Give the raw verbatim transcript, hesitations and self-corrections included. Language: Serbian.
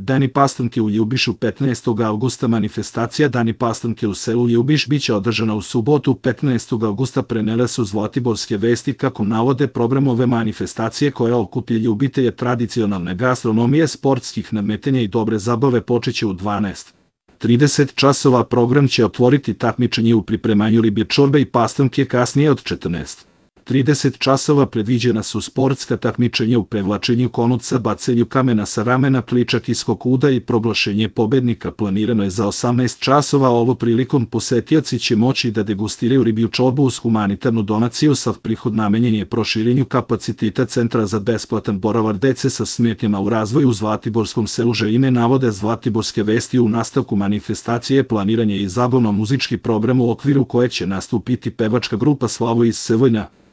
Dani Pastunke u Ljubišu petnaestog avgusta. Manifestacija Dani Pastunke u selu Ljubiš biće održana u subotu petnaestog avgusta. Prenele su Zlatiborske vesti. Kako navode program ove manifestacije, koja okuplja ljubitelje tradicionalne gastronomije, sportskih nadmetanja i dobre zabave, počeće u dvanaest trideset časova. Program će otvoriti takmičenje u pripremanju riblje čorbe i pastunke. Kasnije od četrnaest trideset časova predviđena su sportska takmičenja u prevlačenju konuca, bacanju kamena sa ramena, pličak i skokuda i proglašenje pobednika. Planirano je za osamnaest časova. Ovo prilikom posetioci će moći da degustiraju riblju čorbu uz humanitarnu donaciju. Sav prihod namenjen je proširenju kapaciteta centra za besplatan boravak dece sa smetnjama u razvoju u Zlatiborskom selu Željine. Navode Zlatiborske vesti. U nastavku manifestacije planiran je i zabavno-muzički program u okviru koje će nastupiti pevačka grupa Slavo iz Sevojna.